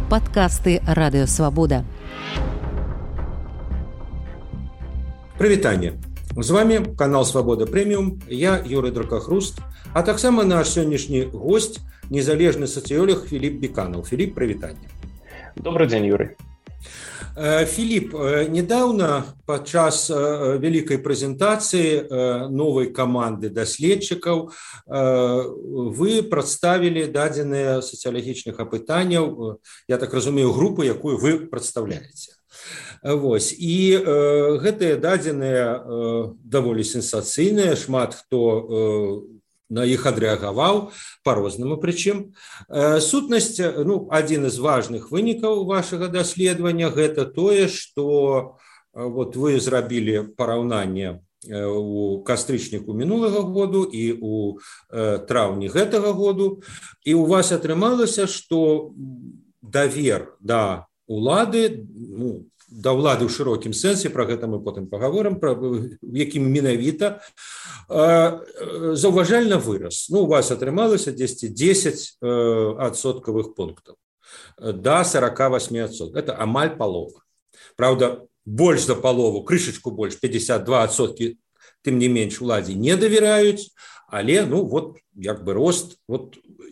Падкасты Радыёвабода. Прывітанне. З вами канал Свабода Прэміум, я Юрый Дракахруст, а таксама наш сённяшні гость, незалежны сацыёлог Філіп Біканаў. Філіп, прывітанне. Добрый день, Юрий. Філіп, недавно падчас вялікай прэзентацыі новай каманды даследчыкаў вы прадставілі дадзеныя сацыялагічных апытанняў, я так разумею, групу, якую вы прадстаўляеце. Вось. І гэтыя дадзеныя даволі сенсацыйныя, шмат хто на іх адрэагаваў па-рознаму, прычым. Сутнасць, адзін з важных вынікаў вашага даследавання гэта тое, што вот вы зрабілі параўнанне у кастрычніку мінулага году і у траўні гэтага году, і у вас атрымалася, што давер да улады, да ўлады ў шырокім сэнсе, пра гэта мы потым пагаворым, якім менавіта заўважальна вырас. У вас атрымалася 10 адсоткавых пунктаў да 48%. Это амаль палова. Правда, больш за палову, крышачку больш, 52%, тым не менш уладзе не давяраюць, але, рост,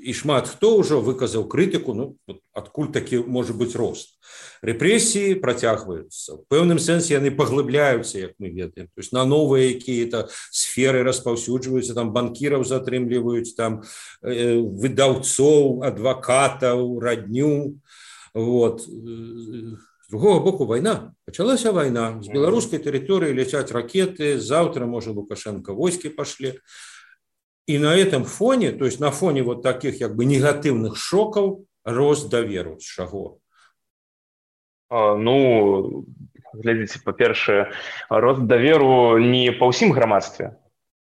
і шмат хто ўжо выказаў крытыку, адкуль такі можа быць рост. Рэпрэсіі працягваюцца. В пэўным сэнсе яны паглыбляюцца, як мы ведаем. То есть на новыя якія-то сферы распаўсюджваюцца, там банкіраў затрымліваюць, там выдаўцоў, адвакатаў, радню. Вот. З другого боку вайна. Пачалася вайна. З беларускай тэрыторыі ляцяць ракеты, заўтра, можа, Лукашенко войскі пашлі. И на этом фоне, то есть на фоне вот таких негативных шоков, рост даверу. З чаго? Глядзіце, па-першае, рост даверу не па ўсім грамадстве.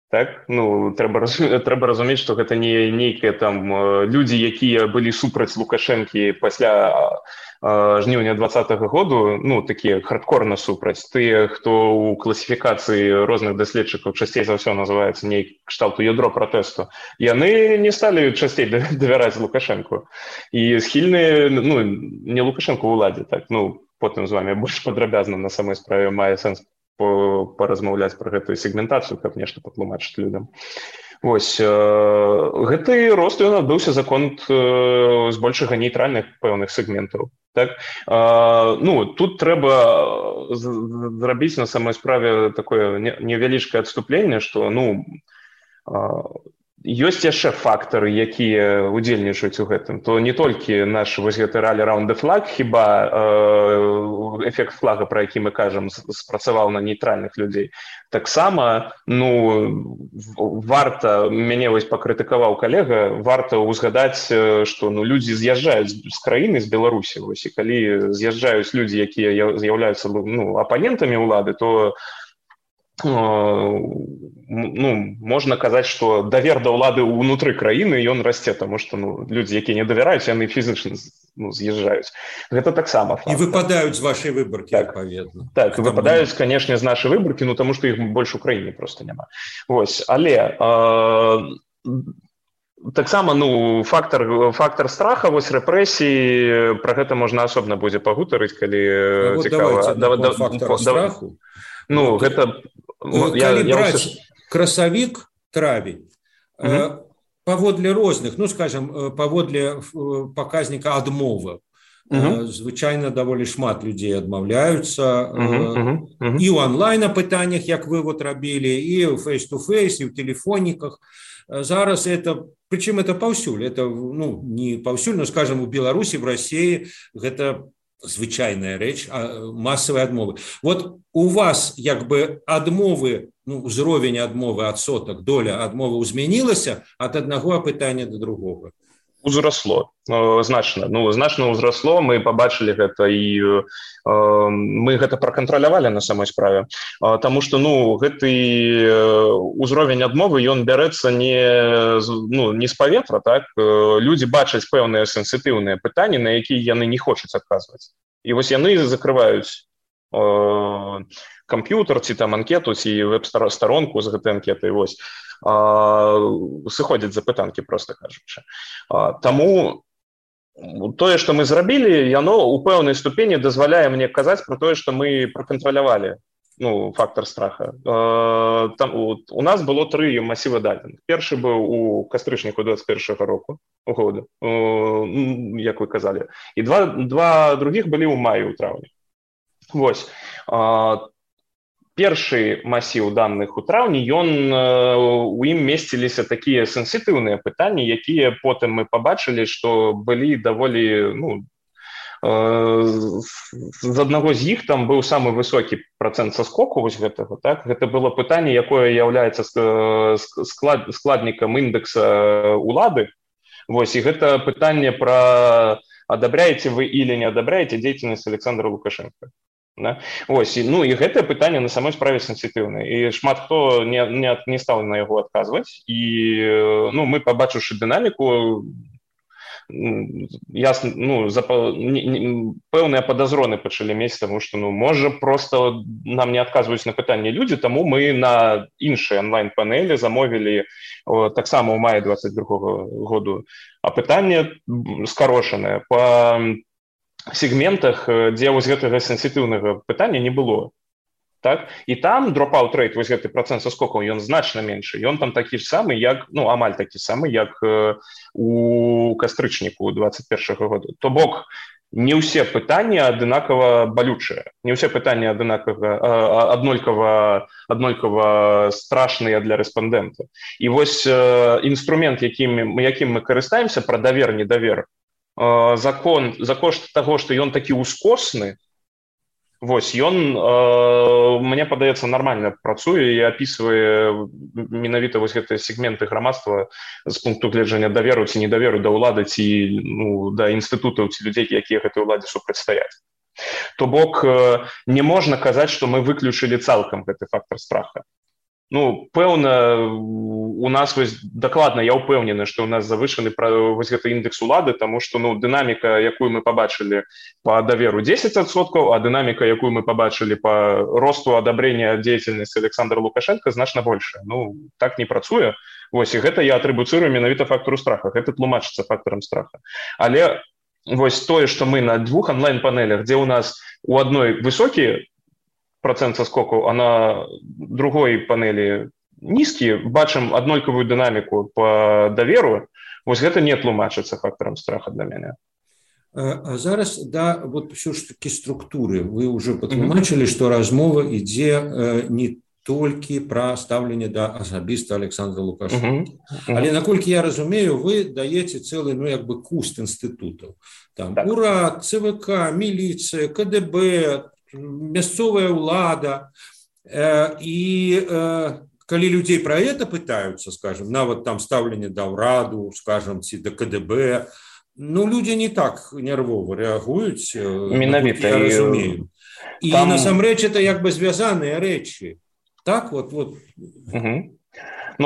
Так? Трэба разумець, што гэта не нейкія там людзі, якія былі супраць Лукашэнкі пасля жніўня 2020 году, такія хардкорна супраць. Тыя, хто ў класіфікацыі розных даследчыкаў часцей за ўсё называецца нейк кшталту ядро пратэсту, яны не сталі часцей давяраць Лукашэнку. І схільныя, не Лукашэнку ўладзе, так, потым з вами больш падрабязна на самой справе мае сэнс паразмаўляць пра гэтую сегментацыю, каб нешта патлумачыць людям. Вось, гэты рост ён адбыўся за конт збольшага нейтральных пэўных сегментаў. Так? Тут трэба зрабіць на самой справе такое невялічкае адступленне, што, ёсць яшчэ фактары, якія удзельнічаюць у гэтым. То не толькі наш вось гэты ралі Round the Flag, хіба эфект флага, пра які мы кажам, спрацаваў на нейтральных людзей. Таксама, варта, мяне вось пакрытыкаваў калега, варта ўзгадаць, што людзі з'язджаюць з краіны, з Беларусі. Вось, і калі з'язджаюць людзі, якія з'яўляюцца апанентамі ўлады, то можна казаць, што давер да ўлады ўнутры краіны ён расце, таму што людзі, якія не давяраюць, яны фізычна з'язджаюць. Гэта таксама факт. І выпадаюць з вашай выбаркі, адпаведна. Так, выпадаюць, канешне, з нашай выбаркі, таму што іх больш у краіне проста няма. Вось, але таксама, фактар страха, вось рэпрэсіі, пра гэта можна асобна будзе пагутарыць, калі цікава. Фактар страху. Гэта... Калі браць красавік, травень, паводле розных, паводле паказніка адмовы, звычайна даволі шмат людзей адмаўляюцца і ў онлайн-апытаннях, як вы рабілі, і ў фейс-ту-фейс, і ў тэлефоніках. Зараз это, прычым это паўсюль, это не паўсюль, у Беларусі, в Расіі гэта звычайная рэч, масавыя адмовы. Вот у вас адмовы, узровень адмовы, адсотак, доля адмовы змянілася ад аднаго апытання да другога? Узрасло, значна. Значна ўзрасло, мы пабачылі гэта і мы гэта пракантралявалі на самой справе. Таму што, гэты ўзровень адмовы, ён бярэцца не з паветра, так? Людзі бачаць пэўныя сенсітыўныя пытанні, на якія яны не хочуць адказваць. І вось яны закрываюць камп'ютар, ці там анкету, ці веб-старонку з гэтай анкетай, вось, сыходзяць запытанкі, проста кажучы. Таму тое, што мы зрабілі, яно ў пэўнай ступені дазваляе мне казаць пра тое, што мы пракантралявалі фактор страха. Там у нас было 3 масівы дадзеных. Першы быў у кастрычніку 21 року года, як вы казалі. І два другіх былі ў маі, у траўні. Вось. Першы масіў даных у траўні, у ім месціліся такія сенсітыўныя пытанні, якія потым мы пабачылі, што былі даволі, з аднаго з іх там быў самы высокі працэнт саскоку вось гэтага, так? Гэта было пытанне, якое з'яўляецца складнікам індэкса улады. Вось, і гэта пытанне пра адабраеце вы или не адабраеце дзейнасць Александра Лукашенка. Да? Ось, і гэтае пытанне на самой справе сенсітыўнае, і шмат хто не стаў на яго адказваць, і мы, пабачыўшы дынаміку, ясна, пэўныя падазроны пачалі мець, таму што, можа, проста нам не адказваюць на пытанне людзі, таму мы на іншыя онлайн-панелі замовілі таксама ў маі 22 году апытанне скарошанае па сегментах, дзе вось гэтага сенсітыўнага пытання не было. Так? І там дроп-аут рэйт, вось гэты працэнт саскокаў, ён значна меншы. Ён там такі ж самы, як, амаль такі самы, як у кастрычніку 21 года. То бок, не ўсе пытанні аднолькава балючыя, не ўсе пытанні аднолькава страшныя для рэспандэнта. І вось інструмент, якім мы карыстаемся, пра давер-недавер, за кошт таго, што ён такі ускосны, вось, ён, мне падаецца, нармальна працуе і апісвае менавіта вось гэтыя сегменты грамадства з пункту гледжання даверу ці недаверу да ўлады ці да інстытутаў ці людзей, якія гэтай уладзе супрацьстаяць. То бок, не можна казаць, што мы выключылі цалкам гэты фактор страха. Пэўна, у нас дакладна, я ўпэўнены, што у нас завышаны вось гэты індекс улады, таму што дынаміка, якую мы пабачылі па даверу 10%, а дынаміка, якую мы пабачылі па росту адабрення дзейнасці Александра Лукашенка, значна большая. Так не працуе. Вось, і гэта я атрыбуцырую менавіта фактару страха. Гэта тлумачыцца фактарам страха. Але вось тое, што мы на 2 онлайн-панелях, дзе у нас у адной высокі процент соскокаў, а на другой панелі нізкі, бачым аднолькавую дынаміку по даверу, вось гэта не тлумачыцца фактарам страха для мяне. А зараз, да, вот все ж таки структуры. Вы уже патлумачылі, што размова ідзе не толькі пра стаўленне да асабіста Александра Лукашенка. Але, наколькі я разумею, вы даеце цэлы, куст інстытутаў. Там УРАД, ЦВК, міліцыя, КДБ, мясцовая ўлада, і калі людзей пра гэта пытаюцца, скажем, нават там стаўленне да ўраду, скажем, ці да КДБ, людзі не так нервова рэагуюць, менавіта, я разумею. І насамрэч это звязаныя рэчы. Так, вот.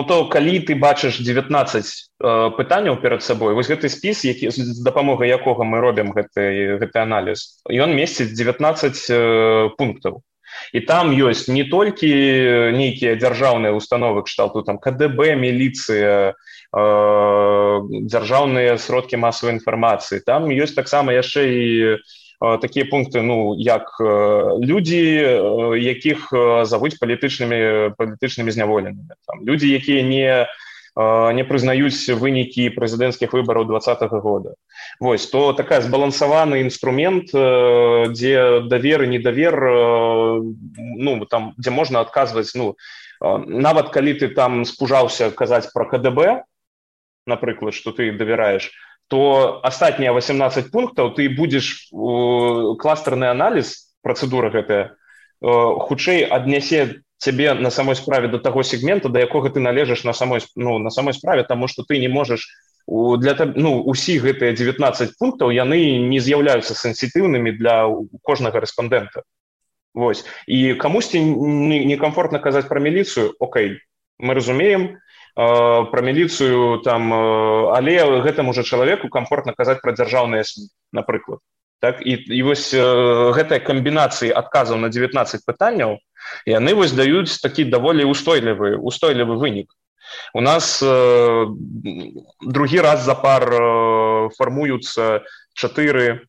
То калі ты бачыш 19 пытанняў перад сабой, вось гэты спіс, з дапамогай якога мы робім гэты аналіз, ён месціць 19 пунктаў. І там ёсць не толькі нейкія дзяржаўныя установы кшталту там КДБ, міліцыя, дзяржаўныя сродкі масавай інфармацыі. Там ёсць таксама яшчэ і такія пункты, як людзі, якіх завуць палітычнымі зняволенымі. Людзі, якія не прызнаюць вынікі прэзідэнцкіх выбараў 2020 года. Вось, то такая збалансаваны інструмент, дзе давер і недавер, там, дзе можна адказваць, нават калі ты там спужаўся казаць пра КДБ, напрыклад, што ты давяраеш, то астатнія 18 пунктаў ты будзеш кластарны аналіз, працэдура гэтая, хутчэй аднясе цябе на самой справе до таго сегмента, да якога ты належыш на самой справе, таму што ты не можаш, усіх гэтыя 19 пунктаў, яны не з'яўляюцца сенсітыўнымі для кожнага рэспандэнта. Вось. І камусьці некамфортна казаць пра міліцыю, окей, мы разумеем, пра міліцыю там, але гэтаму жа чалавеку камфортна казаць пра дзяржаўныя СМІ, напрыклад. Так? І вось гэтыя камбінацыі адказаў на 19 пытанняў, яны вось даюць такі даволі устойлівы вынік. У нас другі раз запар фармуюцца чатыры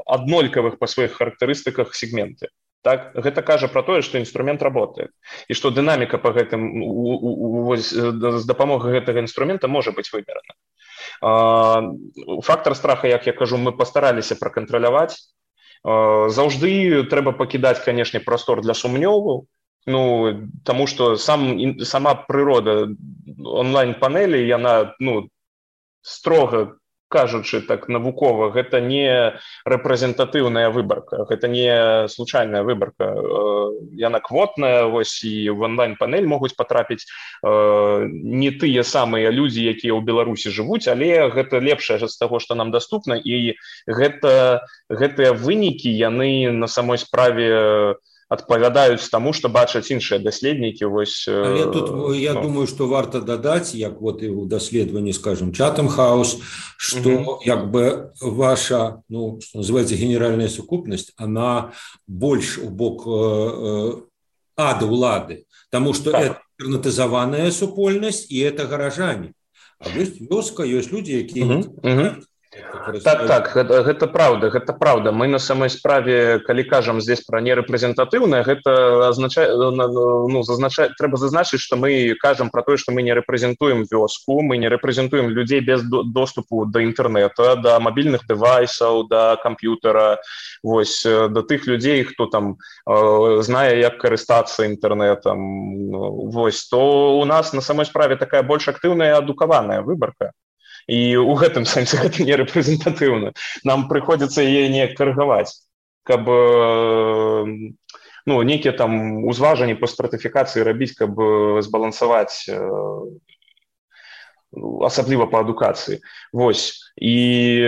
аднолькавых па сваіх характарыстыках сегменты. Так, гэта кажа пра тое, што інструмент работае і што дынаміка па гэтым з дапамогай гэтага інструмента можа быць вымерана. Фактар страха, як я кажу, мы пастараліся пракантраляваць. Заўжды трэба пакідаць, канешне, прастор для сумнёву, таму што сама прырода онлайн-панелі, яна, строга кажучы так навукова, гэта не рэпрэзентатыўная выбарка, гэта не случайная выбарка, яна квотная, вось, і в онлайн-панель могуць патрапіць не тыя самыя людзі, якія ў Беларусі жывуць, але гэта лепшае з таго, што нам даступна, і гэтыя вынікі, яны на самой справе адпавядаюць таму, што бачаць іншыя даследнікі. Але тут я думаю, што варта дадаць, як вот і ў даследаванні, скажем, Chatham House, што як бы ваша, што называецца генеральная сукупнасць, она больш у бок ад улады, таму што это альтэрнатызаваная супольнасць і это гаражане. А ёсць вёска, ёсць людзі, якія Так, гэта правда. Мы на самой справе, калі кажам здесь пра нерэпрэзентатыўнае, гэта азначае, трэба зазначыць, што мы кажам пра тое, што мы не рэпрэзентуем вёску, мы не рэпрэзентуем людзей без доступу да інтэрнэта, да мабільных дэвайсаў, да камп'ютара, вось, да тых людзей, хто там знае, як карыстацца інтэрнэтам, вось, то у нас на самой справе такая больш актыўная і адукаваная выбарка. І ў гэтым сэнсе гэта не рэпрэзентатыўна. Нам прыходзіцца яе неяк каргаваць, каб нейкія там узважанні па стратыфікацыі рабіць, каб збалансаваць, асабліва па адукацыі. Вось. І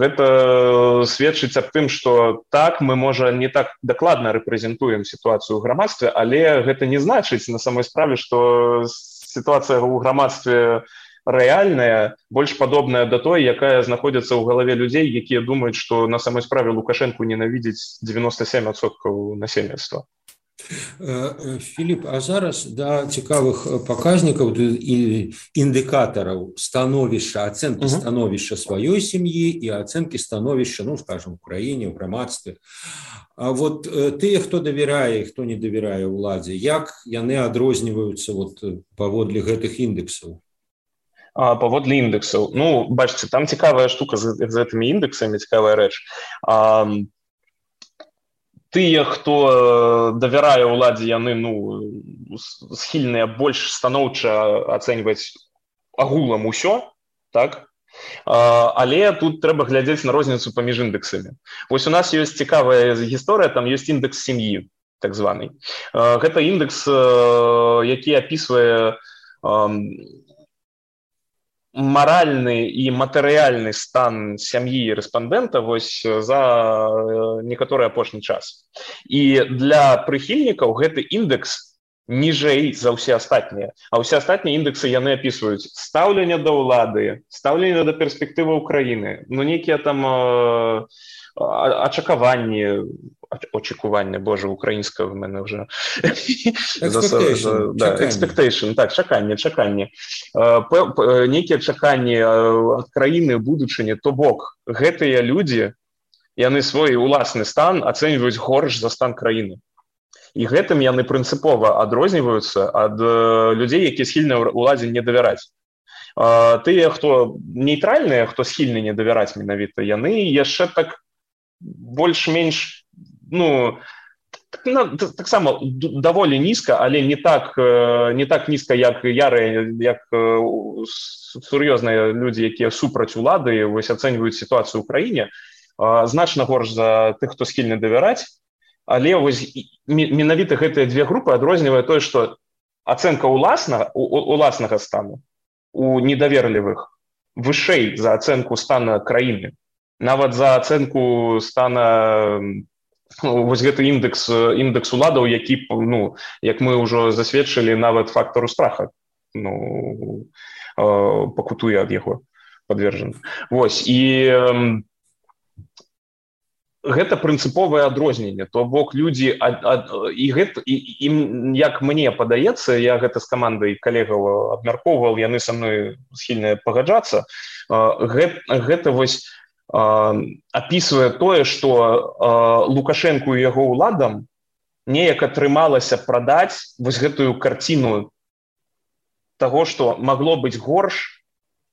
гэта сведчыць аб тым, што так, мы, можа, не так дакладна рэпрэзентуем сітуацыю ў грамадстве, але гэта не значыць на самой справе, што сітуацыя ў грамадстве рэальная, больш падобная да той, якая знаходзіцца ў галаве людзей, якія думаюць, што на самой справе Лукашэнку ненавідзіць 97% насельніцтва. Філіп, а зараз да цікавых паказнікаў і індыкатараў становішча, ацэнкі становішча сваёй сям'і і ацэнкі становішча, скажем, у краіне, ў грамадстве. А вот тыя, хто давярае і хто не давярае ўладзе, як яны адрозніваюцца паводле гэтых індексаў? Паводле індексаў. Бачыце, там цікавая штука з гэтымі індексамі, цікавая рэч. Тыя, хто давярае ўладзе, яны схільныя больш станоўча ацэньваць агулам усё, так? Але тут трэба глядзець на розніцу паміж індексамі. Вось у нас ёсць цікавая гісторыя, там ёсць індекс сям'і, так званы. Гэта індекс, які апісвае маральны і матэрыяльны стан сям'і рэспандэнта вось за некаторы апошні час. І для прыхільнікаў гэты індекс ніжэй за ўсе астатнія. А ўсе астатнія індексы яны апісваюць стаўленне да ўлады, стаўленне да перспектывы ўкраіны, нейкія там очікування, боже, украінська в мене вже. Expectation, так, чаканне. Нейкія чаканні ад краіны будучыні, то бок, гэтыя людзі, яны свой уласны стан ацэньваюць горш за стан краіны. І гэтым яны прынцыпова адрозніваюцца ад людзей, якія схільны ўладзе не давяраць. Тыя, хто нейтральныя, хто схільны не давяраць менавіта, яны яшчэ так больш-менш, таксама даволі нізка, але не так нізка, як ярыя, як сур'ёзныя людзі, якія супраць улады вось ацэньваюць сітуацыю ў краіне, значна горш за тых, хто схільны давяраць, але вось менавіта гэтыя две групы адрознівае тое, што ацэнка уласнага стану у недаверлівых вышэй за ацэнку стана краіны. Нават за ацэнку стана вось гэты індекс уладаў, які, як мы ўжо засведчылі, нават фактару страха пакутуе ад яго падвержаны. Вось, і гэта прынцыповае адрозненне, то бок людзі ім, як мне падаецца, я гэта з камандай калегаў абмяркоўваў, яны са мной схільныя пагаджацца, гэта вось апісвае тое, што Лукашэнку і яго ўладам неяк атрымалася прадаць вось гэтую карціну таго, што магло быць горш,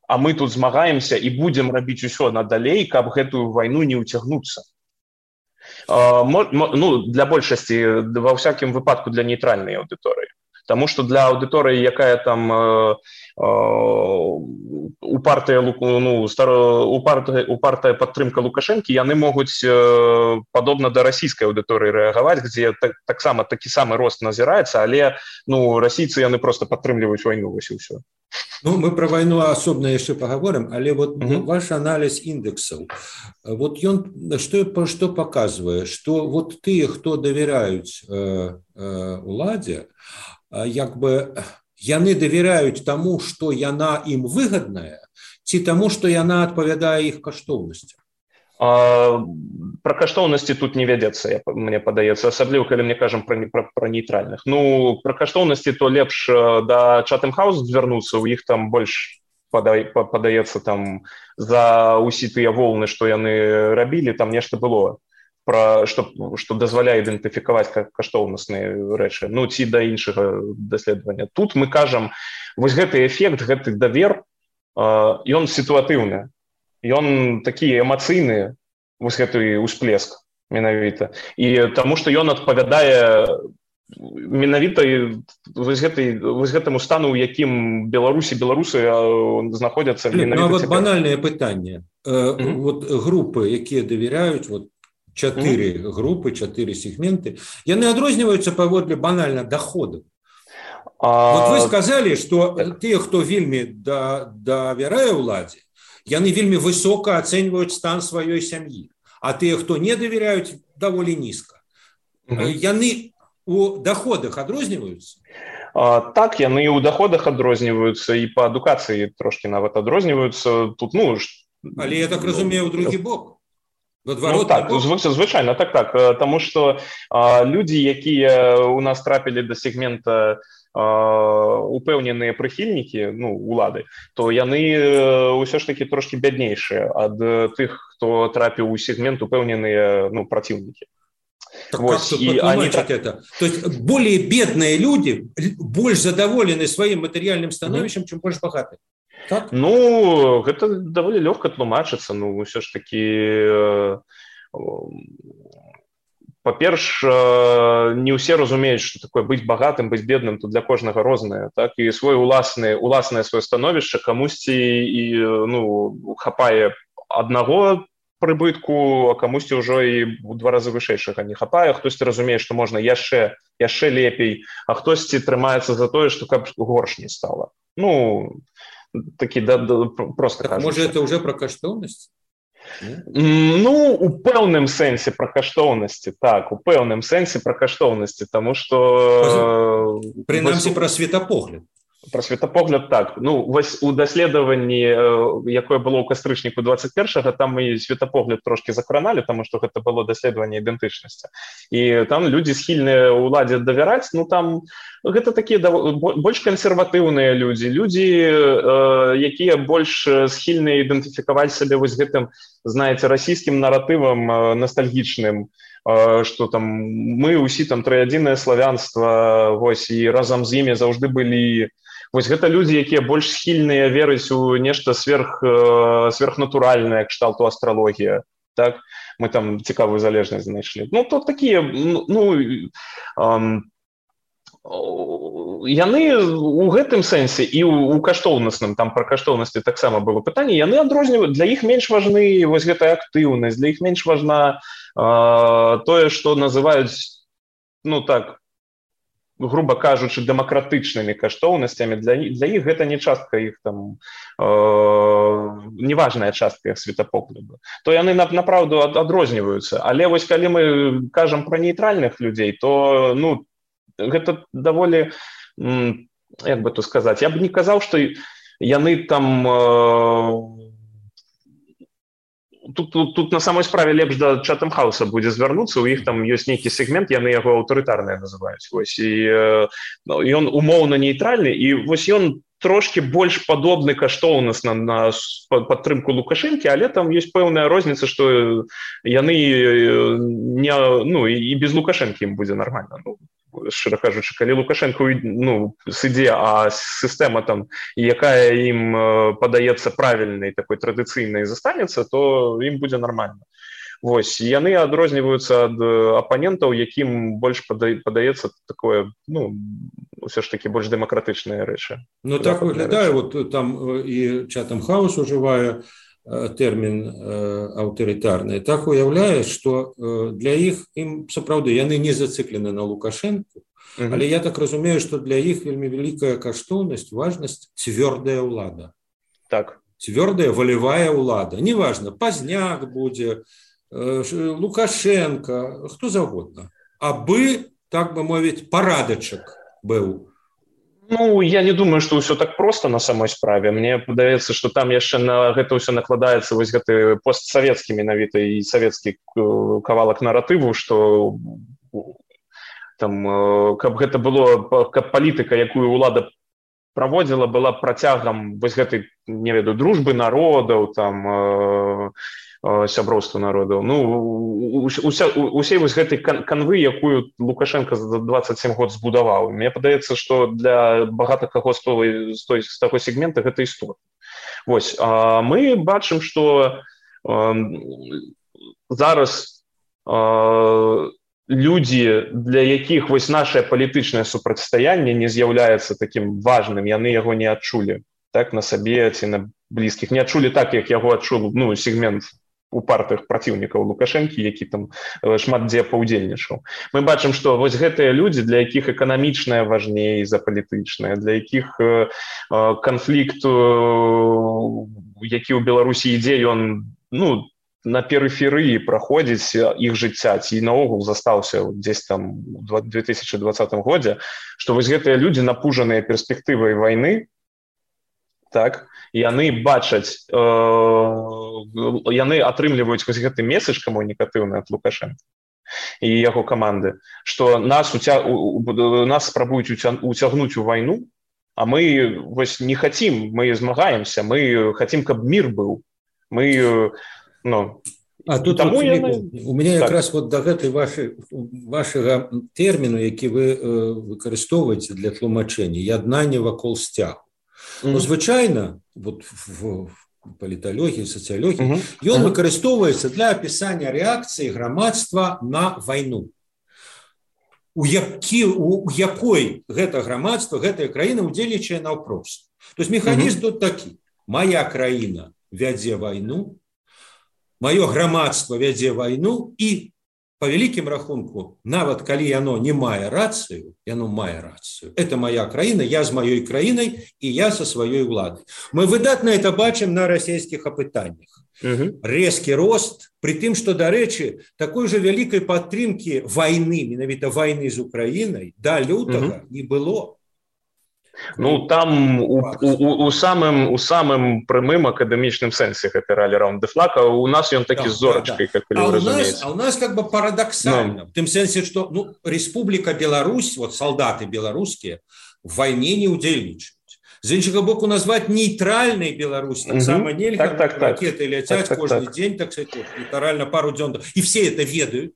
а мы тут змагаемся і будзем рабіць усё надалей, каб гэтую вайну не ўцягнуцца. Для большасці, ва ўсякім выпадку для нейтральнай аўдыторыі. Таму што для аўдыторыі, якая там упартая падтрымка Лукашэнкі, яны могуць падобна да расійскай аўдыторыі рэагаваць, дзе таксама такі самы рост назіраецца, але расійцы яны проста падтрымліваюць вайну, вось і ўсё. Мы про войну особенно еще поговорим, але вот ваш анализ индексов, вот он что показывает, что вот те, кто доверяют уладе, как бы яны доверяют тому, что яна им выгодная, ці тому, что яна отповедает их каштоўнасці. Про каштоўнасці тут не вядзецца, мне падаецца, асабліва калі мне кажам про нейтральных. Про каштоўнасці то лепш да Chatham House звярнуцца, у іх там больш падаецца там за ўсе тыя волны, што яны рабілі, там нешта было, што дазваляе ідэнтыфікаваць каштоўнасныя рэчы, ці да іншага даследавання. Тут мы кажам, вось гэты эфект, гэты давер, ён сітуатыўны. Ён такі эмацыйны, вось гэты ўсплеск менавіта. І таму што ён адпавядае менавіта вось гэтаму стану, у якім беларусы знаходзяцца менавіта. Вот банальнае пытанне. Вот групы, якія давяряюць, вот 4 групы, 4 сегменты, яны адрозніваюцца паводле банальна доходу. Вот вы сказалі, што тыя, хто вельмі давярае ўладзе, яны вельмі высока ацэньваюць стан сваёй сям'і, а тыя, хто не давяряюць, даволі нізка. Яны у доходах адрозніваюцца? Так, яны ў доходах адрозніваюцца, і па адукацыі трошки нават адрозніваюцца. Тут, але я так разумею, у другі бок. Так, звычайна, так. Таму што людзі, якія у нас трапілі да сегмента упэўненыя прыхільнікі улады, то яны ўсё ж такі трошки бяднейшыя ад тых, хто трапіў у сегмент упэўненыя праціўнікі. Так вот, как тут потолмачить это? То есть более бедные люди больше задоволены своим материальным становищем, чем больше богатые. Так? Гэта даволі лёгка тлумачыцца. Ўсё ж такі, па-перш, не ўсе разумеюць, што такое быць багатым, быць бедным, то для кожнага рознае, так, і уласнае сваё становішча камусьці і хапае аднаго прыбытку, а камусьці ўжо і ў 2 разы вышэйшага не хапае, хтосьці разумее, што можна яшчэ лепей, а хтосьці трымаецца за тое, што каб горш не стала. Такі проста кажучы. Можа, это уже про каштоўнасць? У пэўным сэнсе пра каштоўнасці, так, у пэўным сэнсе пра каштоўнасці, таму што... Прынамсі пра светапогляд. Пра светапогляд, так. Вось у даследаванні, якое было ў кастрычніку 21-го, там мы светапогляд трошки закраналі, таму што гэта было даследаванне ідэнтычнасці. І там людзі схільныя ўладзе давяраць, там гэта такія больш кансерватыўныя людзі, якія больш схільныя ідэнтыфікаваць сабе вось гэтым, знаеце, расійскім наратывам ностальгічным, што там мы ўсі там трыядзінае славянства, вось, і разам з імі заўжды былі. Вось гэта людзі, якія больш схільныя верыць у нешта сверхнатуральнае, кшталту астралогія, так? Мы там цікавую залежнасць знайшлі. То такія, яны у гэтым сэнсе і у каштоўнасным, там пра каштоўнасці таксама было пытанне, яны адрозніваюць, для іх менш важны вось гэтая актыўнасць, для іх менш важна тое, што называюць, так, грубо кажучы, дэмакратычнымі каштоўнасцямі. Для іх гэта не частка іх там, неважная частка іх светапогляду. То яны направду адрозніваюцца. Але вось калі мы кажам пра нейтральных людзей, то гэта даволі, як бы то сказаць, я б не казаў, што яны там тут на самой справе лепш да Chatham House будзе звярнуцца, у іх там ёсць нейкі сегмент, яны яго аўтарытарныя называюць. Вось, і ён умоўна нейтральны, і вось ён трошки больш падобны каштоўнасна на падтрымку Лукашэнкі, але там ёсць пэўная розніца, што яны не, ну, і без Лукашэнкі ім будзе нармальна. Ну, шчыра кажучы, калі Лукашенко, ну, сыдзе, а сістэма там, якая ім падаецца правільнай, такой традыцыйнай застанецца, то ім будзе нармальна. Вось, яны адрозніваюцца ад апанентаў, якім больш падаецца такое, ну, все ж таки больш дэмакратычныя рэчы. Ну, так выглядае, вот там і Chatham House ужывае тэрмін аўтарытарны. Так уяўляе, што для іх, ім сапраўды, яны не зацыклены на Лукашэнку, але я так разумею, што для іх вельмі вялікая каштоўнасць, важнасць цвёрдая ўлада. Так. Цвёрдая волевая ўлада. Неважно, Пазняк будзе, Лукашенко, хто заўгодна. Абы, так бы мовіць, парадачак быў. Ну, я не думаю, што ўсё так проста на самой справе. Мне падаецца, што там яшчэ на гэта ўсё накладаецца вось гэты постсавецкі менавіта і савецкі кавалак наратыву, што там, каб гэта было, каб палітыка, якую ўлада праводзіла, была працягам вось гэтай, не ведаю, дружбы народаў, там, сяброўства народаў. Ну, усей вось гэтай канвы, якую Лукашенко за 27 год збудаваў. Мне падаецца, што для багата каго з таго сегмента гэта істотна. Вось, мы бачым, што зараз людзі, для якіх вось нашае палітычнае супрацьстаянне не з'яўляецца такім важным, яны яго не адчулі, так, на сабе ці на блізкіх. Не адчулі так, як яго адчуў, ну, сегмент упартых праціўнікаў Лукашэнкі, які там шмат дзе паўдзельнічаў. Мы бачым, што вось гэтыя людзі, для якіх эканамічнае важней за палітычнае, для якіх канфлікт, які ў Беларусі ідзе, ён, ну, на перыферыі праходзіць іх жыцця, ці наогул застаўся дзесь там у 2020 годзе, што вось гэтыя людзі, напужаныя перспектывай вайны, так, яны бачаць, яны атрымліваюць вось гэты месседж камунікатыўны ад Лукашенка і яго каманды, што нас спрабуюць уцягнуць у вайну, а мы вось не хацім, мы змагаемся, мы хацім, каб мір быў. Мы, ну, а тут вот, у меня так. Якраз вот да гэтай вашага тэрміну, які вы выкарыстоўваеце для тлумачэння, яднанне вакол сцягу. Ну, звычайна, вот в паліталогіі, сацыялогіі, ён выкарыстоўваецца для апісання рэакцыі грамадства на вайну. У якой гэта грамадства, гэтая краіна удзельнічае наўпрост. То есть механізм тут такі. Мая краіна вядзе вайну, маё грамадства вядзе вайну, і по вялікім рахунку, нават калі яно не мае рацыю, яно мае рацыю. Это моя краіна, я з маёй краінай, і я са сваёй уладай. Мы выдатна это бачым на расійскіх апытаннях. Рэзкі рост, пры тым, што, дарэчы, такой жа вялікай падтрымкі вайны, менавіта вайны з Украінай, да лютага не было. Ну, там у самым прямым акадэмічным сэнсе гэты ралі раунд дэ флаг, а у нас ён такі з зорачкай, как вы разумееце. А у нас как бы парадоксальна, в тым сэнсе, што, ну, Республіка Беларусь, вот солдаты беларускія в вайне не удзельнічаюць. З іншага боку, назваць нейтральнай Беларусь таксама нельга, ракеты ляцяць кожны дзень, так сказать, літаральна пару дзён, і все это ведаюць.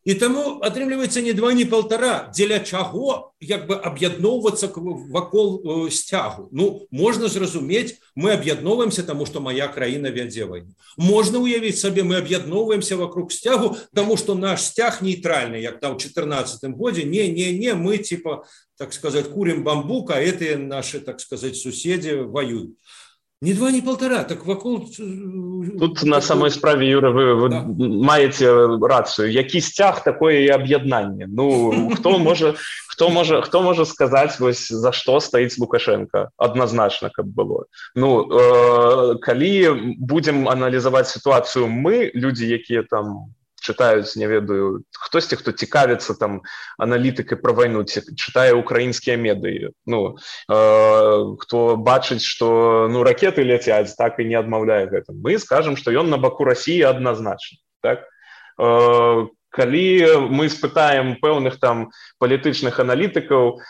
І таму атрымліваецца не 2, не 1,5, дзеля чаго як бы аб'ядноўвацца вакол сцягу. Ну, можна зразумець, мы аб'ядноўваемся, таму што моя краіна вядзе вайну. Можна уявіць сабе, мы аб'ядноўваемся вокруг сцягу, таму што наш сцяг нейтральны, як там у 2014 годзе. Не, мы, типа, так сказать, курим бамбук, а гэтыя наши, так сказать, суседзі воююць. Не 2, не 1,5, так вакол... Тут на самой справе, Юра, вы да. Маеце рацыю. Які сцяг, такое і аб'яднанне. Ну, хто можа сказаць, вось, за што стаіць Лукашенко? Адназначна, каб было. Ну, калі будзем аналізаваць сітуацыю мы, людзі, якія там чытаюць, не ведаю, хтосьці, хто цікавіцца там аналітыкай пра вайну, чытае украінскія медыі, хто бачыць, што ракеты ляцяць, так і не адмаўляе гэта. Мы скажам, што ён на баку Расіі адназначна, так? Калі мы спытаем пэўных там палітычных аналітыкаў,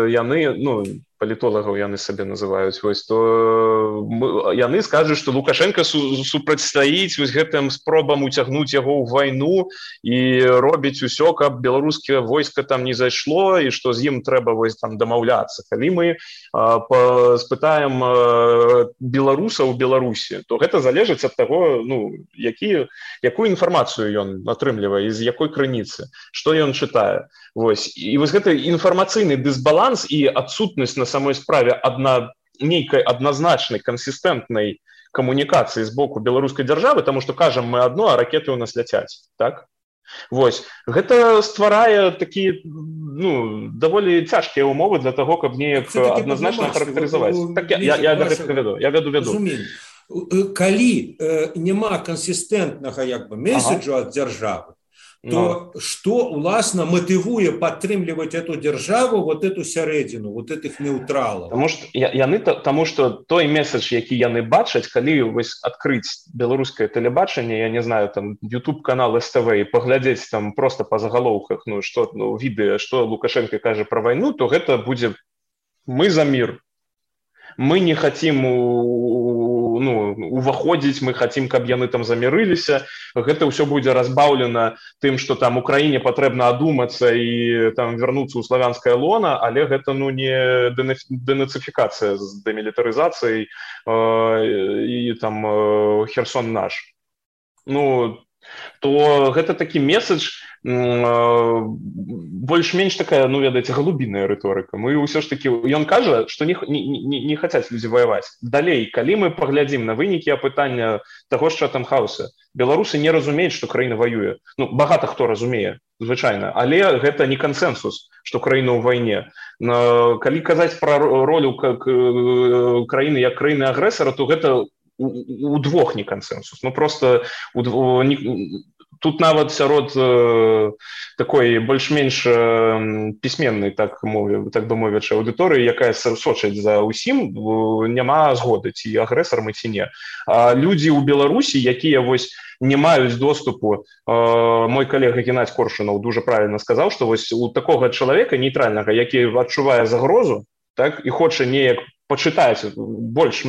яны, палітолагаў яны сабе называюць, то яны скажуць, што Лукашенко супрацьстаіць гэтым спробам уцягнуць яго ў вайну і робіць усё, каб беларускае войска там не зайшло і што з ім трэба там дамаўляцца. Калі мы спытаем беларусаў у Беларусі, то гэта залежыць ад таго, якую інфармацыю ён атрымлівае, з якой крыніцы, што ён чытае. І гэты інфармацыйны дысбаланс і адсутнасць на самой справе нейкай адназначнай кансістэнтнай камунікацыі з боку беларускай дзяржавы, таму што кажам мы адно, а ракеты ў нас ляцяць, так? Гэта стварае такія даволі цяжкія ўмовы для таго, каб неяк адназначна характарызаваць. Я веду. Калі няма кансістэнтнага месседжу ад дзяржавы, то что, уласна, мотивуе падтрымліваць эту дзяржаву, эту сярэдзіну, этих неўтралаў? Таму што той месседж, які яны бачаць, калі адкрыць беларускае тэлебачанне, я не знаю, там YouTube-канал СТВ і паглядзець там просто па загалоўках, відэа, што Лукашенко кажа пра вайну, то гэта будзе «Мы за мир». Мы не хотим уваходзіць, мы хотим, каб яны там замірыліся. Гэта ўсё будзе разбаўлена тым, што там Украіне патрэбна адумацца і там вярнуцца ў славянскае лона, але гэта не дэнацыфікацыя з дэмілітарызацыяй і там Херсон наш. То гэта такі месседж, больш-менш такая, ведаеце, галубіная рыторыка. Мы ўсё ж такі, ён кажа, што не хацяць людзі ваяваць. Далей, калі мы паглядзім на вынікі апытання таго ж Chatham House, беларусы не разумеюць, што краіна ваюе. Багата хто разумее, звычайна, але гэта не кансэнсус, што краіна ў вайне. Калі казаць пра ролю краіны як краіны агрэсара, то гэта удвох не кансэнсус. Просто тут нават сярод такой больш-менш пісьменнай, так бы мовячы, аўдыторыі, якая сочыць за ўсім, няма згоды, ці агрэсар мы, ці не. А людзі ў Беларусі, якія не маюць доступу, мой калега Геннадзь Коршунаў дужа правільна сказаў, што у такога чалавека нейтральнага, які адчувае загрозу, так, і хоча неяк пачытаць больш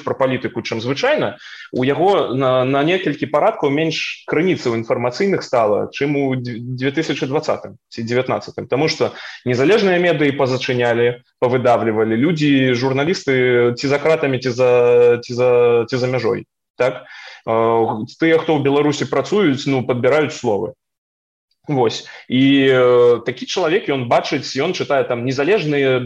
пра палітыку, чым звычайна, у яго на некалькі парадкаў менш крыніцаў інфармацыйных стала, чым у 2020 ці 2019. Таму што незалежныя медыі пазачынялі, павыдавлівалі, людзі, журналісты ці за кратамі, ці за мяжой. Так? Тыя, хто ў Беларусі працуюць, падбіраюць словы. І такі чалавек, ён бачыць, ён чытае там незалежныя,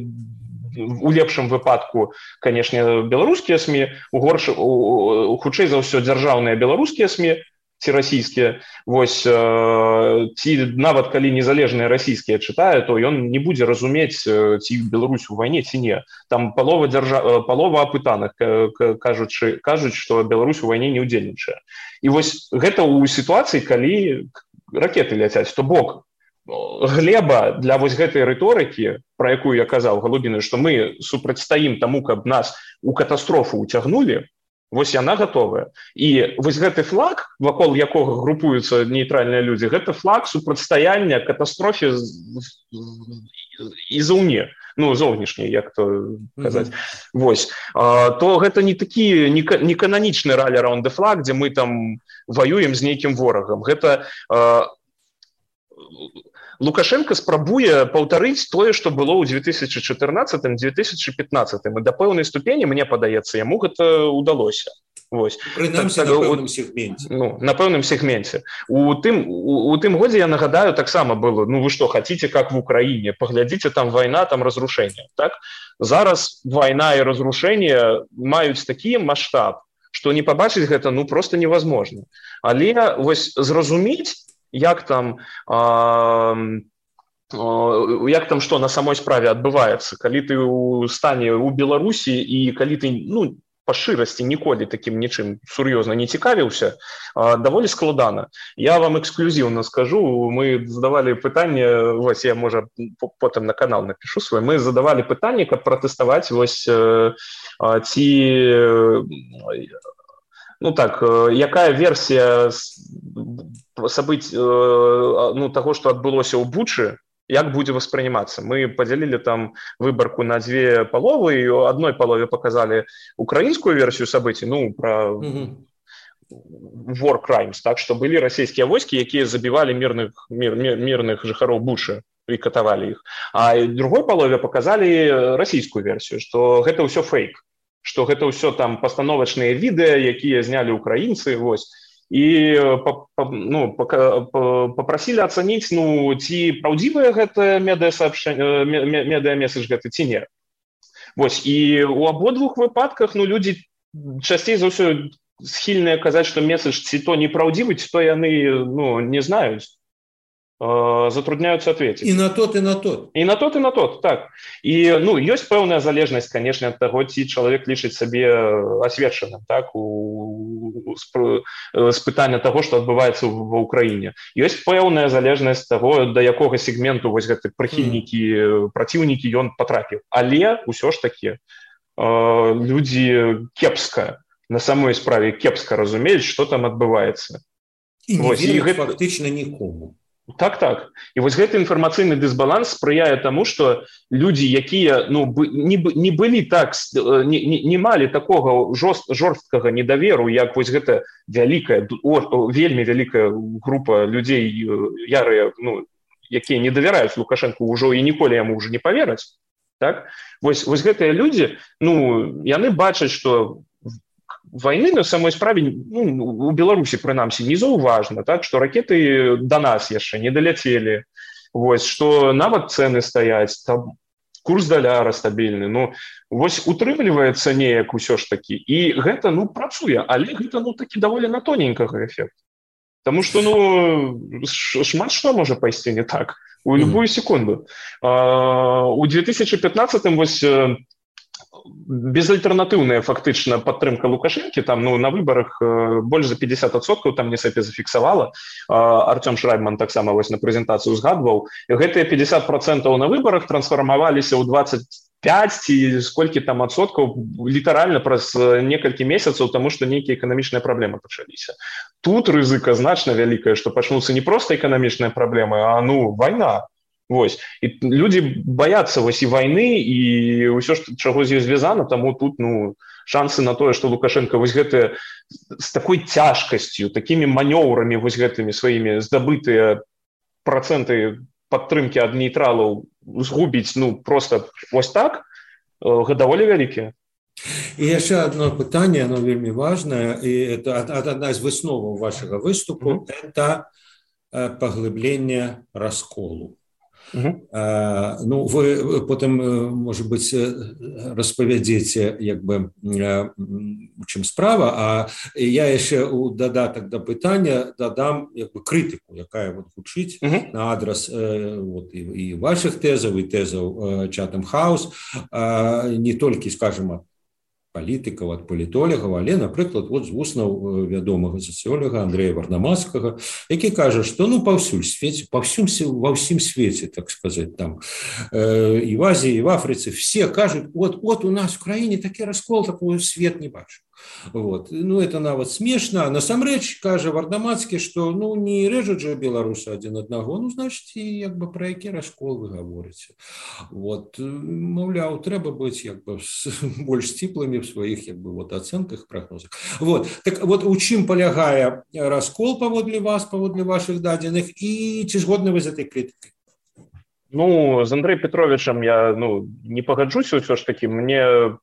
у лепшым выпадку, канешне, беларускія СМІ, хутчэй за ўсё дзяржаўныя беларускія СМІ, ці расійскія, ці нават калі незалежныя расійскія чытае, то ён не будзе разумець, ці Беларусь у вайне, ці не. Там палова апытаных кажуць, што Беларусь у вайне не ўдзельнічае. І гэта ў сітуацыі, калі ракеты ляцяць, то бок глеба для гэтай рыторыкі, пра якую я казаў, галубіную, што мы супрацьстаім таму, каб нас у катастрофу ўцягнулі, яна гатовая. І гэты флаг, вакол якога групуюцца нейтральныя людзі, гэта флаг супрацьстаяння катастрофе і заўне, зовнішняй, як то казаць. То гэта не такі не кананічны ралі-раунд-ды-флаг, дзе мы там ваюем з нейкім ворагам. Гэта Лукашенко спрабуе паўтарыць тое, што было ў 2014-2015. І да пэўнай ступені, мне падаецца, яму гэта ўдалося. Прынамсі, на пэўным сегменце. На пэўным сегменце. У тым годзе, я нагадаю, таксама было, вы што, хаціце, как в Украіне, паглядзіце, там вайна, там разрушэнне. Так? Зараз вайна і разрушэнне маюць такі маштаб, што не пабачыць гэта, проста невозможно. Але зразумець, як там што на самой справе адбываецца, калі ты ў стане ў Беларусі і калі ты па шчырасці ніколі такім нічым сур'ёзна не цікавіўся, даволі складана. Я вам эксклюзіўна скажу, мы задавалі пытанне, вось я, можа, потым на канал напишу свой, мы задавалі пытанне, каб пратэставаць вось ці, ну так, якая версія сабыць, ну, таго, што адбылося ў Бучы, як будзе восприниматься. Мы поделили там выборку на две половы, и в одной полове показали украинскую версию событий, ну, про war crimes, так, что были российские войски, якія забивали мирных жыхароў Бучы и катавали их. А в другой полове показали российскую версию, что это все фейк, что это все там постановочные видео, якія зняли украинцы, вось. І ну, попросили оценить, ну, ці праўдзівае гэта медыа-месседж гэты ці не. Вось, і у абодвух выпадках, ну, людзі часцей за ўсё схільныя казаць, што месседж ці то непраўдзівы, ці то яны, ну, не знаюць, затрудняются ответить. И на тот, и на тот. И на тот, и на тот, так. И, ну, есть пэўная залежнасць, конечно, от того, ці чалавек лічыць сабе асвечаным, так, з пытання того, что адбываецца ва Украіне. Ёсць пэўная залежнасць того, да якога сегменту вось гэты прыхільнікі, праціўнікі ён патрапіў. Але ўсё ж таки людзі кепска, на самой справе кепска разумеюць, што там адбываецца. І не вераць фактычна нікому. Так. І вось гэты інфармацыйны дысбаланс спрыяе таму, што людзі, якія, ну, не былі так, не малі такога жорсткага недаверу, як вось гэта вялікая, вельмі вялікая група людзей ярыя, ну, якія не давяраюць Лукашенку ўжо і ніколі яму ўжо не павераць, так? Вось гэтыя людзі, ну, яны бачаць, што войны на самой справе, ну, у Беларусі прынамсі не заўважна, так, што ракеты до нас яшчэ не даляцелі, вось, што нават цэны стаяць, там курс даляра стабільны, ну, вось утрымліваецца неяк усё ж такі, і гэта, ну, працуе, але гэта, ну, такі даволі на тоненькага эфект. Таму што, ну, шмат што можа пайсці не так у любую секунду. У 2015-м вось безальтэрнатыўная фактычна падтрымка Лукашэнкі, там, ну, на выбарах больш за 50%, там не сапе зафіксавала. Артём Шрайбман таксама вось на прэзентацыю згадваў. Гэтыя 50% на выбарах трансфармаваліся ў 25 ці сколькі там адсоткаў літаральна праз некалькі месяцаў, таму што нейкія эканамічныя праблемы пачаліся. Тут рызыка значна вялікая, што пачнуцца не проста эканамічныя праблемы, а, ну, вайна. Вось. І людзі баяцца вось і вайны, і ўсё, чаго з ёй звязана, таму тут, ну, шансы на тое, што Лукашенко вось гэта з такой цяжкасцю, такімі манёўрамі вось гэтымі сваімі здабытыя працэнты падтрымкі ад нейтралаў згубіць, ну, просто вось так, даволі вялікія. І яшчэ одно пытанне, оно вельмі важнае, і это адна з высноваў вашага выступу, это паглыбленне расколу. Ну, вы потым, можа быць, распавядзеце, як бы, у чым справа, а я яшчэ у дадатак да пытання дадам, як бы, крытыку, якая вот гучыць на адрас вот, і вашых тэзаў, і тэзаў Chatham House, не толькі, скажем, палітыкаў, ад палітолагаў, але, напрыклад, вот з вуснаў вядомага сацыёлага Андрэя Варнамацкага, які кажа, што, ну, паўсюль свеце, ва ўсім свеце, так сказаць, там, і в Азіі, і в Афрыцы, все кажуць, от у нас в краіне такі раскол, такой свет не бачыў. Вот. Ну, это нават смешна. Насамрэч, кажа Варнамацкі, што, ну, не рэжуць жа беларусы адзін аднаго, ну, значыць, і, як бы, пра які раскол вы гаворыце. Вот. Маўляў, трэба быць, як бы, больш сціплымі в сваіх, як бы, вот, ацэнках, прагнозах. Вот. Так вот, у чым палягае раскол паводле вас, паводле вашых дадзеных, і ці згодны вы з этой крытыкай? Ну, з Андрэем Петровичам я, ну, не пагаджуся ўсё ж такі. Мне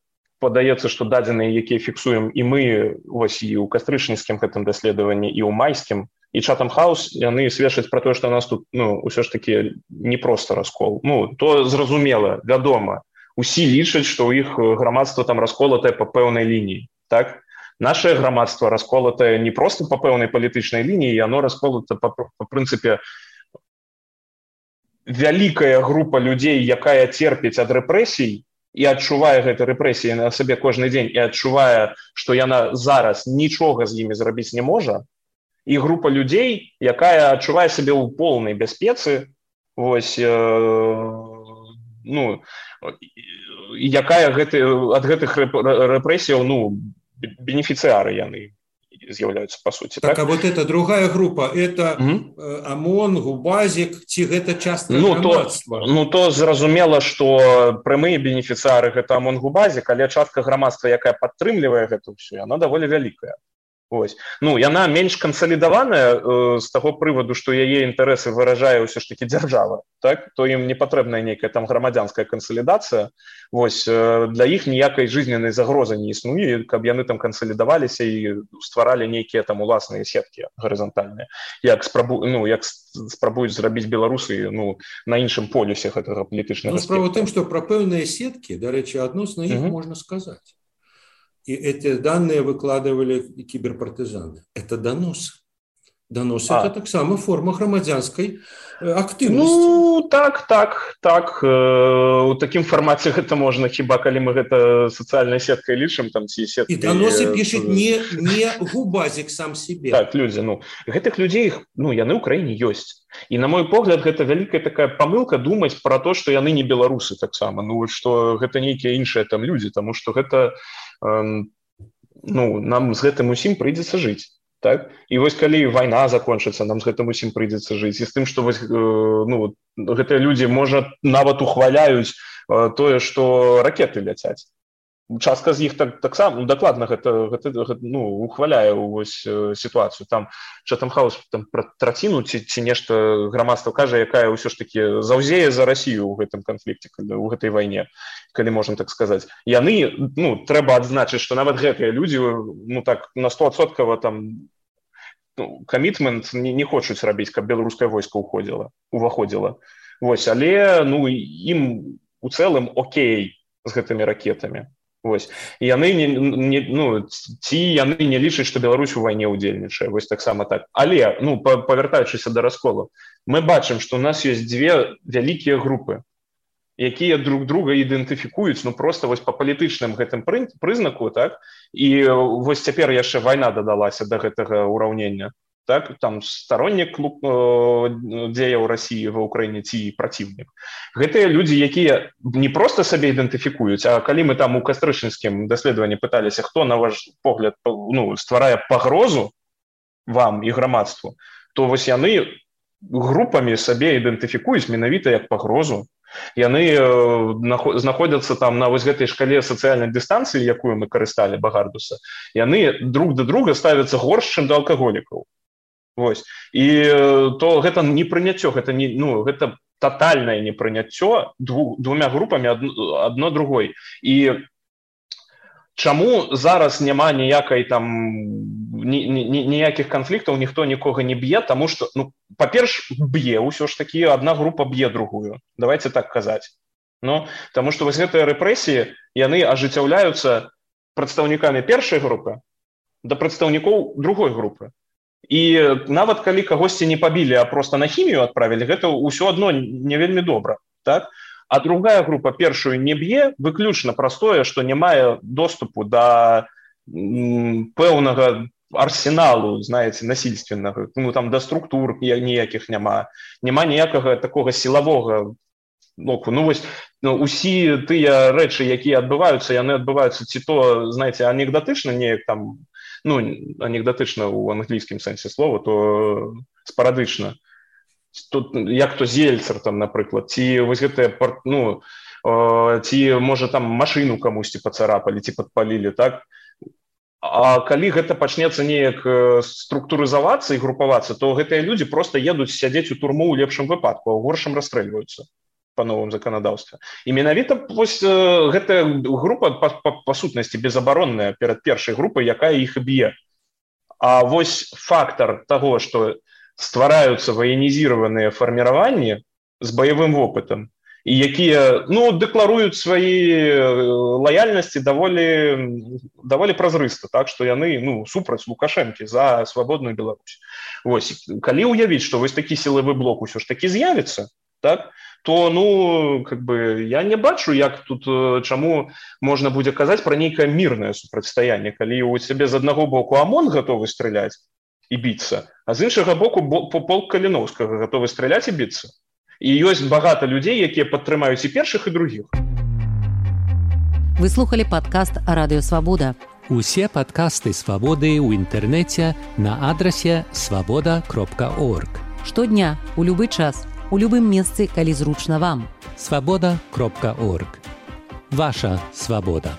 падаецца, што дадзеныя, якія фіксуем і мы, вось, і ў кастрычніцкім гэтым даследаванні, і ў майскім, і Chatham House, яны сведчаць пра тое, што у нас тут, ну, ўсё ж такі не проста раскол. Ну, то зразумела, вядома. Усе лічаць, што ў іх грамадства там расколатае па пэўнай лініі, так? Наше грамадства расколатае не проста па пэўнай палітычнай лініі, яно расколата па прынцыпе вялікая група людзей, якая церпіць ад рэпрэсій, і адчувае гэты рэпрэсіі на сабе кожны дзень і адчувае, што яна зараз нічога з імі зрабіць не можа, і група людзей, якая адчувае сабе ў поўнай бяспецы, вось, ну, якая ад гэтых рэпрэсіяў, ну, бенефіцыары яны з'яўляюцца, па суці. Так, а вот эта другая група, это ОМОН, Губазик, ці гэта частка грамадства? Ну, то зразумела, што прямыя бенефіцыары гэта ОМОН, Губазик, але частка грамадства, якая падтрымлівае гэта ўсё, яна даволі вялікая. Ось. Ну, яна менш кансалідаваная з таго прываду, што яе інтарэсы выражае ўсё ж такі дзяржава, так? То ім не патрэбная нейкая там грамадзянская кансалідацыя. Вось, для іх ніякай жизненнай загрозы не існуе, каб яны там кансалідаваліся і стваралі нейкія там уласныя сеткі гарызантальныя, як спрабуюць зрабіць беларусы, ну, на іншым полюсе гэтага палітычнага спектра. Справа ў тым, што пра пэўныя сеткі, дарэчы, адносна іх можна сказаць. И эти данные выкладывали киберпартизаны. Это доносы. Доносы это так само форма громадянской активности. Ну, так. У таким формате это можно, хіба калі мы гэта социальной сеткой лічым, там ці сеткой. И доносы пишет не Губазик сам себе. Так, люди, ну, гэтых людей, ну, яны ў краіне ёсць. І на мой погляд, гэта вялікая такая памылка думаць пра то, што яны не беларусы таксама, ну, што гэта нейкія іншыя там людзі, таму што гэта, ну, нам з гэтым усім прыйдзецца жыць. Так? І вось калі вайна закончыцца, нам з гэтым усім прыйдзецца жыць. І з тым, што вось, ну, гэтыя людзі, можа, нават ухваляюць тое, што ракеты ляцяць. Частка з іх таксама, ну, дакладна гэта ну, ухваляе вось сітуацыю. Там Chatham House там пра траціну ці нешта грамадства кажа, якая ўсё ж такі заўзее за Расію ў гэтым канфлікце, у гэтай вайне, калі можна так сказаць. Яны, ну, трэба адзначыць, што нават гэтыя людзі, ну, так, на 100% там, ну, камітмент не хочуць рабіць, каб беларускае войска уваходзіла. Вось, але, ну, ім у цэлым окей з гэтымі ракетамі. Вось. І яны яны не лічаць, што Беларусь у вайне ўдзельнічае, вось таксама так. Але, ну, павяртаючыся да расколу, мы бачым, што ў нас ёсць дзве вялікія групы, якія друг друга ідэнтыфікуюць, ну, проста вось па палітычным гэтым прызнаку, так? І вось цяпер яшчэ вайна дадалася да гэтага ўраўнення. Так, там сторонник дзеяў России ва Украіне ці праціўнік. Гэтыя людзі, якія не просто сабе ідэнтыфікуюць, а калі мы там у кастрычніцкім даследаванні пыталіся, хто, на ваш погляд, ну, стварае пагрозу вам і грамадству, то вось яны групамі сабе ідэнтыфікуюць менавіта як пагрозу. Яны знаходзяцца там на вось гэтай шкале сацыяльнай дыстанцыі, якую мы карысталі, Багардуса. Яны друг да друга ставяцца горш, чым да алкаголікаў. Вось. І то гэта непрыняццё, гэта не, ну, гэта тотальнае непрыняццё двумя групамі адно другой. І чаму зараз няма ніякай там ніякіх канфліктаў, ніхто нікога не б'е, таму што, ну, па-перш, б'е ўсё ж такі, адна група б'е другую. Давайте так казаць. Ну, таму што вось гэтыя рэпрэсіі, яны ажыццяўляюцца прадстаўнікамі першай групы да прадстаўнікоў другой групы. І нават калі кагосьці не пабілі, а проста на хімію адправілі, гэта ўсё адно не вельмі добра, так? А другая група першую не б'е выключна праз тое, што не мае доступу да пэўнага арсеналу, знаеце, насільственнага, ну, там да структур ніякіх няма ніякага такога сілавога боку. Ну, вось, ну, усі тыя рэчы, якія адбываюцца, яны адбываюцца ці то, знаеце, анекдатычна неяк там, ну, анекдатычна ў англійскім сэнсе слова, то спарадычна. Тут, як то Зельцер, там, напрыклад, ці вось гэтыя, ну, ці, можа, там машыну камусьці пацарапалі, ці падпалілі, так? А калі гэта пачнецца неяк структурызавацца і групавацца, то гэтыя людзі проста едуць сядзець у турму ў лепшым выпадку, а ў горшым расстрэльваюцца па новым заканадаўстве. І менавіта вось гэтая група па сутнасці безабаронная перад першай групай, якая іх і б'е. А вось фактар таго, што ствараюцца ваенізіраваныя фарміраванні з баявым вопытам, і якія, ну, дэкларуюць свае лаяльнасці даволі празрыста, так, што яны, ну, супраць Лукашэнкі за свабодную Беларусь. Вось, калі ўявіць, што вось такі сілавы блок усё ж такі з'явіцца, так, то я не бачу, як тут чаму можна будзе казаць пра нейкае мірнае супрацьстаянне, калі у цябе з аднаго боку ОМОН гатовы страляць і біцца, а з іншага боку полк Каліноўскага гатовы страляць і біцца. І ёсць багата людзей, якія падтрымаюць і першых, і другіх. Вы слухали падкаст Радыё Свабода. Усе падкасты Свабоды ў інтэрнэце на адрасе свабода.орг. Штодня, у любы час, у любым месцы, калі зручна вам. Свабода.орг. Ваша свабода.